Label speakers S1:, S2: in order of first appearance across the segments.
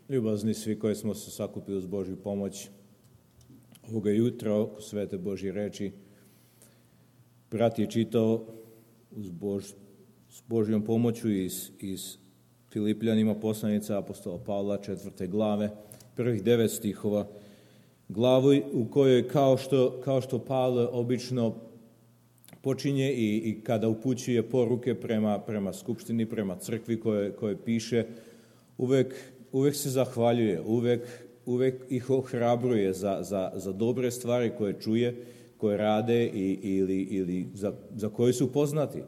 S1: Ljubazni svi koji smo se sakupili uz Božju pomoć ovoga jutra oko svete Božje reči. Brat je čitao s Božjom pomoću iz Filipljanima poslanica apostola Pavla 4. glave, prvih 9 stihova, glavu u kojoj kao što Pavle obično počinje i kada upućuje poruke prema skupštini, prema crkvi koje piše, uvek se zahvaljuje, uvek ih ohrabruje za dobre stvari koje čuje, koje rade ili za koje su poznati.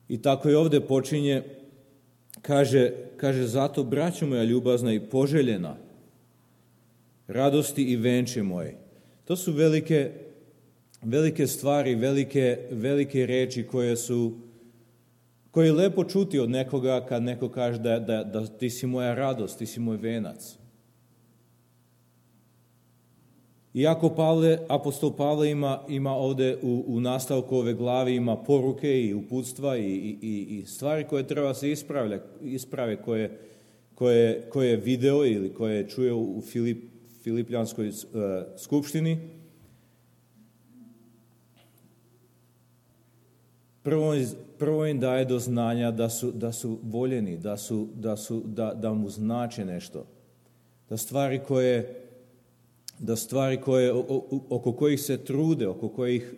S1: I tako i ovdje počinje, kaže zato, braćo moja ljubazna i poželjena, radosti i venče moje. To su velike stvari, velike reči koje je lepo čuti od nekoga kad neko kaže da ti si moja radost, ti si moj venac. Iako apostol Pavle ima ovdje u nastavku ove glave ima poruke i uputstva i stvari koje treba se isprave koje je video ili koje je čuo u Filipljanskoj skupštini. Prvo im daje do znanja da su voljeni, da mu znače nešto. Da stvari koje oko kojih se trude, oko kojih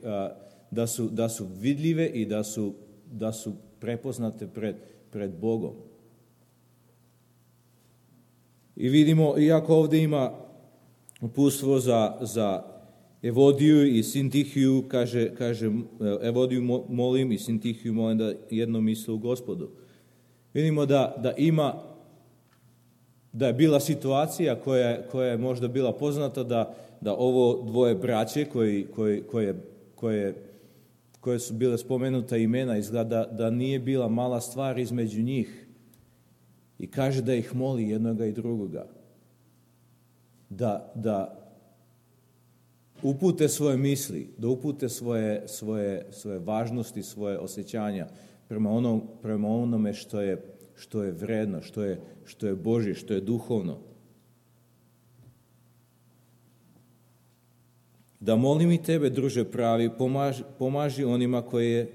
S1: da su vidljive i da su prepoznate pred Bogom. I vidimo, iako ovdje ima uputstvo za Evodiju i Sintihiju, kaže Evodiju molim i Sintihiju molim da jedno misle u Gospodu. Vidimo da je bila situacija koja je možda bila poznata da ovo dvoje braće koje su bile spomenuta imena, izgleda da nije bila mala stvar između njih. I kaže da ih moli jednoga i drugoga. Da upute svoje misli, da upute svoje važnosti, svoje osjećanja prema onome što je vredno, što je Božje, što je duhovno. Da molim i tebe, druže pravi, pomaži onima koje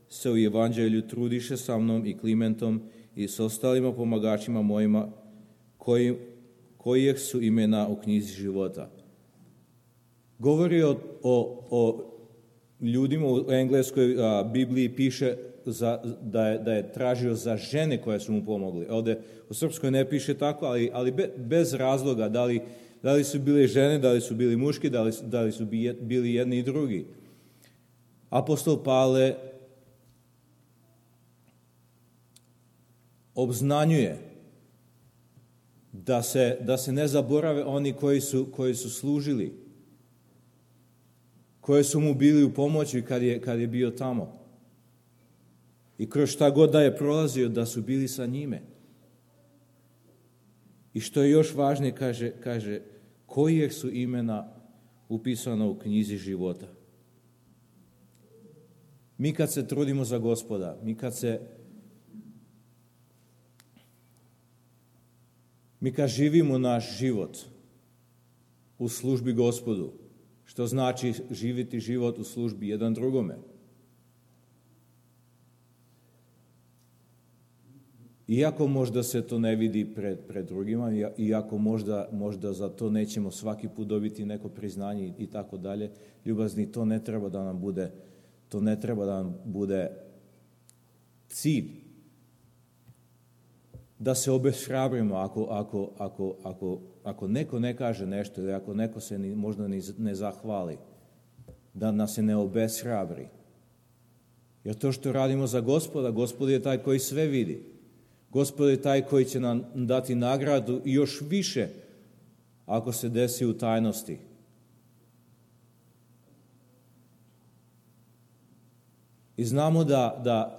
S1: se u evanđelju trudiše sa mnom i Klimentom i s ostalima pomagačima mojima, kojih su imena u knjizi života. Govori o ljudima u engleskoj Bibliji, piše da je tražio za žene koje su mu pomogli. Ovdje u srpskoj ne piše tako, ali bez razloga, da li su bile žene, da li su bili muški, da li su bili jedni i drugi. Apostol Pavle obznanjuje da se ne zaborave oni koji su služili, koji su mu bili u pomoći kad je bio tamo. I kroz šta god da je prolazio, da su bili sa njime. I što je još važnije, kaže kojih su imena upisana u knjizi života. Mi kad se trudimo za Gospoda, mi kad živimo naš život u službi Gospodu, što znači živjeti život u službi jedan drugome. Iako možda se to ne vidi pred drugima, iako možda za to nećemo svaki put dobiti neko priznanje i tako dalje, ljubazni, to ne treba da nam bude cilj. Da se obeshrabrimo ako neko ne kaže nešto ili ako neko se možda ne zahvali, da nas se ne obeshrabri. Jer to što radimo za Gospoda, Gospod je taj koji sve vidi. Gospod je taj koji će nam dati nagradu i još više ako se desi u tajnosti. I znamo da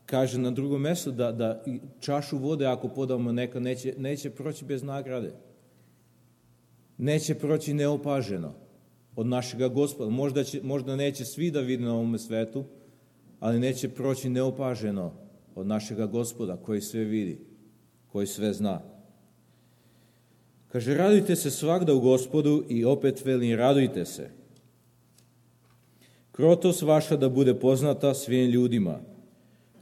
S1: kaže na drugom mjestu da čašu vode ako podamo neka neće proći bez nagrade. Neće proći neopaženo od našega Gospoda. Možda neće svi da vide na ovome svetu, ali neće proći neopaženo od našega Gospoda koji sve vidi, koji sve zna. Kaže, radujte se svagda u Gospodu i opet veli, radujte se. Krotost vaša da bude poznata svim ljudima.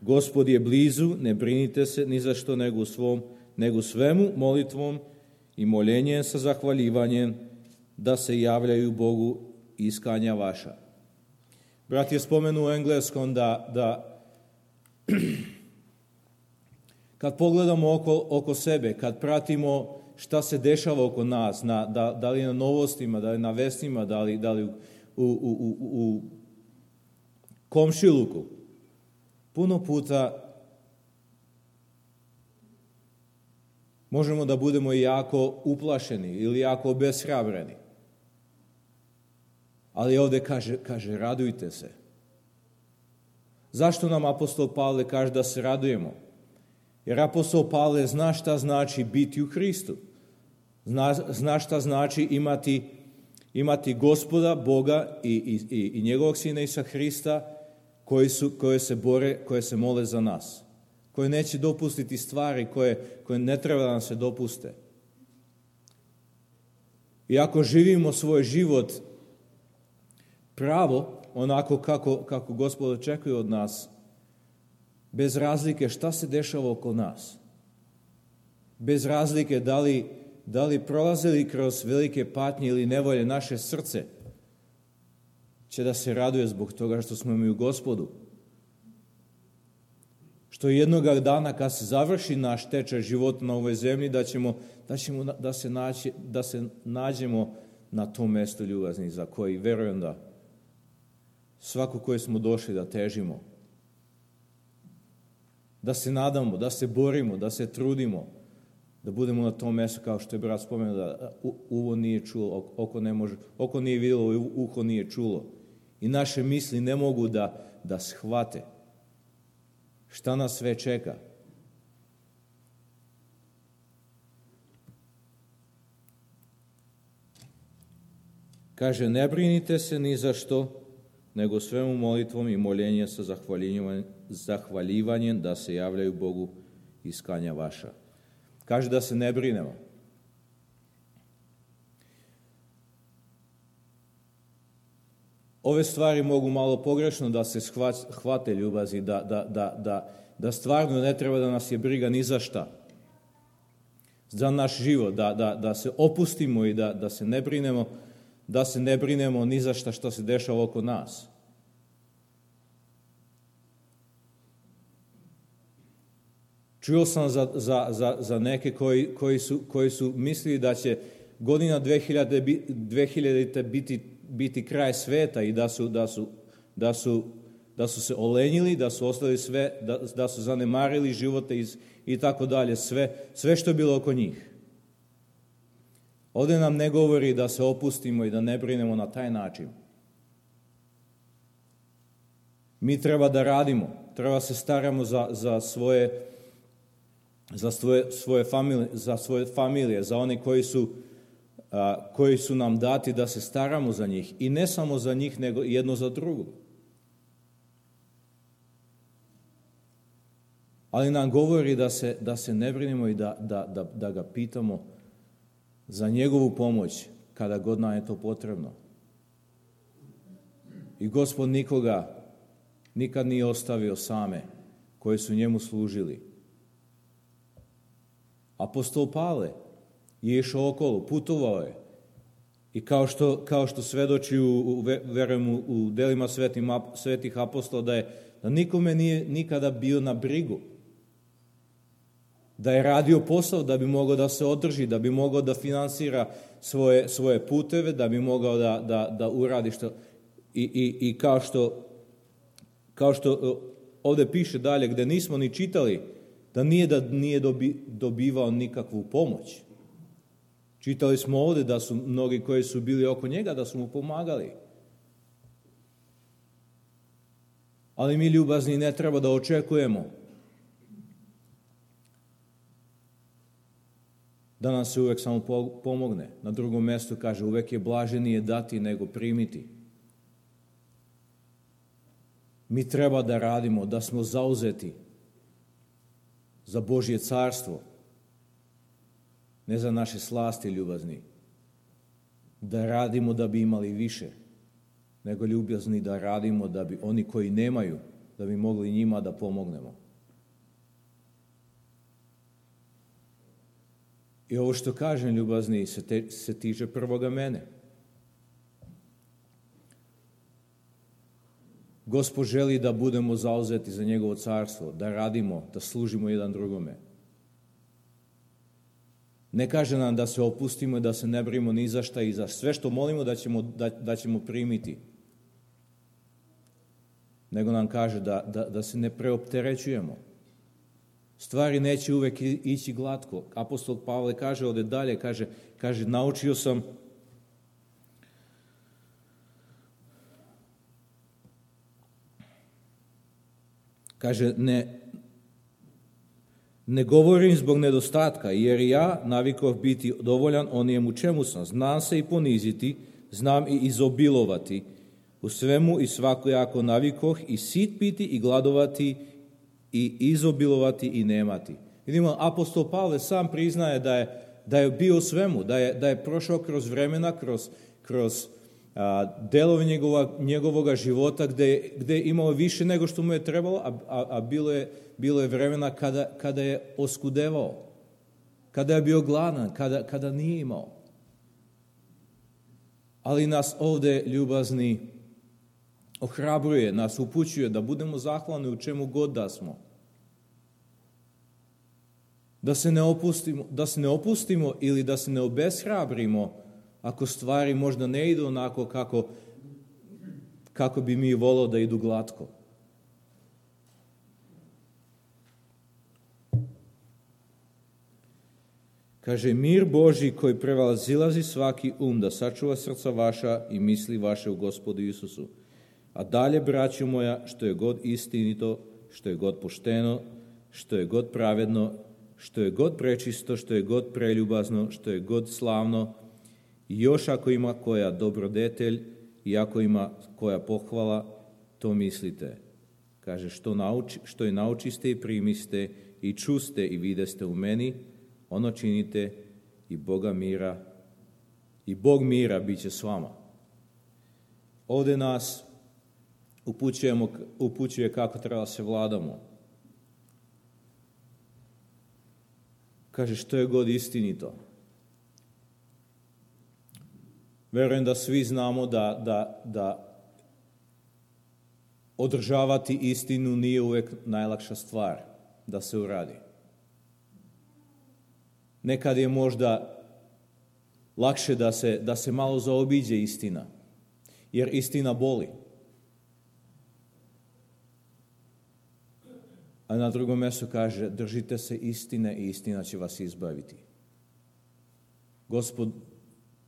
S1: Gospod je blizu, ne brinite se ni za što nego svemu molitvom i moljenjem sa zahvaljivanjem da se javljaju Bogu iskanja vaša. Brat je spomenuo u engleskom da kad pogledamo oko sebe, kad pratimo šta se dešava oko nas, da li na novostima, da li na vestima, da li u komšiluku, puno puta možemo da budemo jako uplašeni ili jako obeshrabreni. Ali ovdje kaže radujte se. Zašto nam apostol Pavle kaže da se radujemo? Jer apostol Pavle zna šta znači biti u Hristu. Zna šta znači imati Gospoda, Boga i njegovog Sina Isusa Hrista koje se mole za nas. Koje neće dopustiti stvari koje ne treba da nam se dopuste. I ako živimo svoj život pravo, onako kako Gospod očekuje od nas, bez razlike šta se dešava oko nas, bez razlike da li prolazili kroz velike patnje ili nevolje, naše srce će da se raduje zbog toga što smo mi u Gospodu. Što jednoga dana kad se završi naš tečaj života na ovoj zemlji, da se nađemo na tom mjestu ljubazni za koji verujem da svako koji smo došli da težimo. Da se nadamo, da se borimo, da se trudimo, da budemo na tom mjestu kao što je brat spomenuo, da uvo nije čulo, oko nije vidjelo, uho nije čulo. I naše misli ne mogu da shvate šta nas sve čeka. Kaže, ne brinite se ni za što, nego svemu molitvom i moljenjem sa zahvaljivanjem da se javljaju Bogu iskanja vaša. Kaže da se ne brinemo. Ove stvari mogu malo pogrešno da se hvate ljubazi, da stvarno ne treba da nas je briga ni za šta. Za naš život, da se opustimo i da se ne brinemo ni za šta što se dešava oko nas. Čuo sam za neke koji su mislili da će godina 2000 biti kraj sveta i da su se olenjili, da su ostali sve, da su zanemarili živote i tako dalje, sve što je bilo oko njih. Ovdje nam ne govori da se opustimo i da ne brinemo na taj način. Mi treba da radimo, treba se staramo za svoje familije, za one koji su nam dati da se staramo za njih. I ne samo za njih, nego jedno za drugo. Ali nam govori da se ne brinemo i da ga pitamo za njegovu pomoć kada god nam je to potrebno. I Gospod nikoga nikad nije ostavio same koji su njemu služili. Apostol Pavle je išao okolo, putovao je. I kao što svedoči verujem u delima svetih apostola da nikome nije nikada bio na brigu. Da je radio posao da bi mogao da se održi, da bi mogao da finansira svoje puteve, da bi mogao da uradi što. I kao što ovdje piše dalje, gdje nismo ni čitali, da nije dobivao nikakvu pomoć. Čitali smo ovdje da su mnogi koji su bili oko njega, da su mu pomagali. Ali mi ljubazni ne treba da očekujemo da nam se uvek samo pomogne. Na drugom mjestu kaže, uvek je blaženije dati nego primiti. Mi treba da radimo, da smo zauzeti, za Božje carstvo, ne za naše slasti, ljubazni, da radimo da bi imali više, nego ljubazni da radimo da bi oni koji nemaju, da bi mogli njima da pomognemo. I ovo što kažem, ljubazni, se tiče prvoga mene. Gospod želi da budemo zauzeti za njegovo carstvo, da radimo, da služimo jedan drugome. Ne kaže nam da se opustimo i da se ne brinemo ni za šta i za sve što molimo da ćemo primiti. Nego nam kaže da se ne preopterećujemo. Stvari neće uvek ići glatko. Apostol Pavle kaže ovdje dalje, kaže naučio sam ne govorim zbog nedostatka, jer ja navikov biti dovoljan onijemu čemu sam. Znam se i poniziti, znam i izobilovati. U svemu i svakojako navikoh i sit piti i gladovati i izobilovati i nemati. Vidimo, apostol Pavle sam priznaje da je bio u svemu, da je prošao kroz vremena, kroz delove njegovoga života gde je imao više nego što mu je trebalo, a bilo je vremena kada je oskudevao, kada je bio gladan, kada nije imao. Ali nas ovdje, ljubazni, ohrabruje, nas upućuje da budemo zahvalni u čemu god da smo. Da se ne opustimo ili da se ne obeshrabrimo ako stvari možda ne idu onako kako bi mi volio da idu glatko. Kaže, mir Božji koji prevazilazi svaki da sačuva srca vaša i misli vaše u Gospodu Isusu. A dalje, braćo moja, što je god istinito, što je god pošteno, što je god pravedno, što je god prečisto, što je god preljubazno, što je god slavno, i još ako ima koja dobrodetelj i ako ima koja pohvala, to mislite. Kaže, što je naučiste i primiste i čuste i videste u meni, ono činite i Bog mira bit će s vama. Ovdje nas upućuje kako treba se vladamo. Kaže, što je god istinito. Verujem da svi znamo da održavati istinu nije uvijek najlakša stvar da se uradi. Nekad je možda lakše da se malo zaobiđe istina, jer istina boli. A na drugom mjestu kaže, držite se istine i istina će vas izbaviti.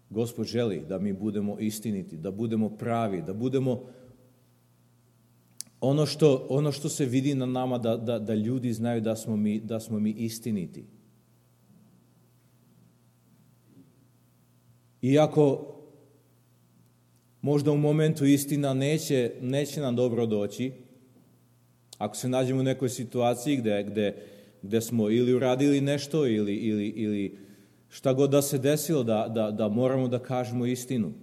S1: Gospod želi da mi budemo istiniti, da budemo pravi, da budemo ono što se vidi na nama, da ljudi znaju da smo mi istiniti. Iako možda u momentu istina neće nam dobro doći, ako se nađemo u nekoj situaciji gde smo ili uradili nešto ili šta god da se desilo, da moramo da kažemo istinu.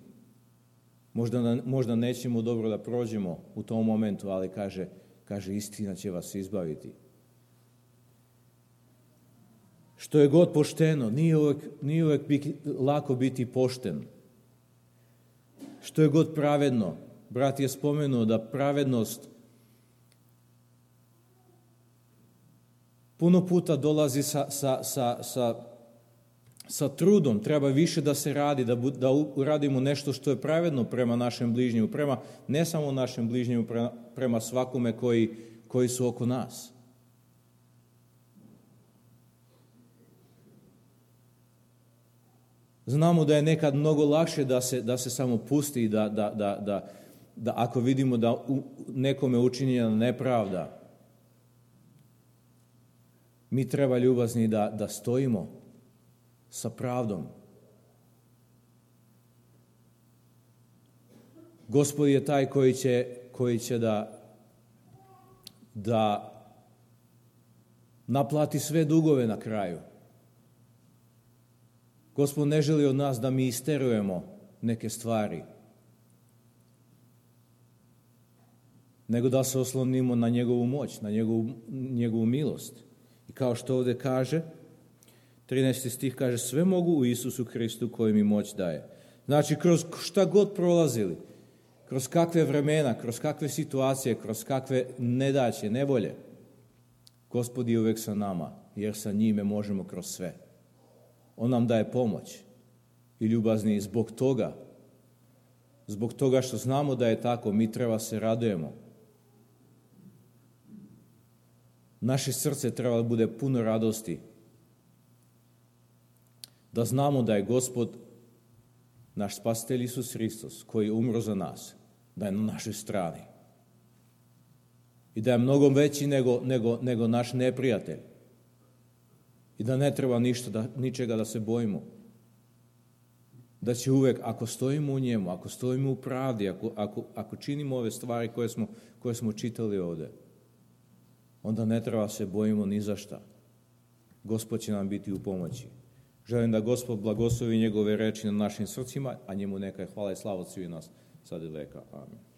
S1: Možda nećemo dobro da prođemo u tom momentu, ali kaže istina će vas izbaviti. Što je god pošteno, nije uvek lako biti pošten. Što je god pravedno, brat je spomenuo da pravednost puno puta dolazi sa trudom, treba više da se radi, da uradimo nešto što je pravedno prema našem bližnjemu, ne samo našem bližnjemu, prema svakome koji su oko nas. Znamo da je nekad mnogo lakše da se samo pusti, da ako vidimo da nekome učinjena nepravda, mi treba, ljubazni, da stojimo sa pravdom. Gospod je taj koji će da naplati sve dugove na kraju. Gospod ne želi od nas da mi isterujemo neke stvari, nego da se oslonimo na njegovu moć, na njegovu milost. I kao što ovdje kaže, 13. stih kaže, sve mogu u Isusu Hristu koji mi moć daje. Znači, kroz šta god prolazili, kroz kakve vremena, kroz kakve situacije, kroz kakve nedaće, nevolje, Gospod je uvijek sa nama, jer sa njime možemo kroz sve. On nam daje pomoć i ljubazni zbog toga što znamo da je tako, mi treba se radujemo. Naše srce treba da bude puno radosti, da znamo da je Gospod, naš spasitelj Isus Hristos, koji je umro za nas, da je na našoj strani. I da je mnogo veći nego naš neprijatelj. I da ne treba ničega da se bojimo. Da će uvek, ako stojimo u njemu, ako stojimo u pravdi, ako činimo ove stvari koje smo čitali ovdje, onda ne treba se bojimo ni za šta. Gospod će nam biti u pomoći. Želim da Gospod blagoslovi njegove reči na našim srcima, a njemu neka je hvala i slava od svih nas sad i veka. Amen.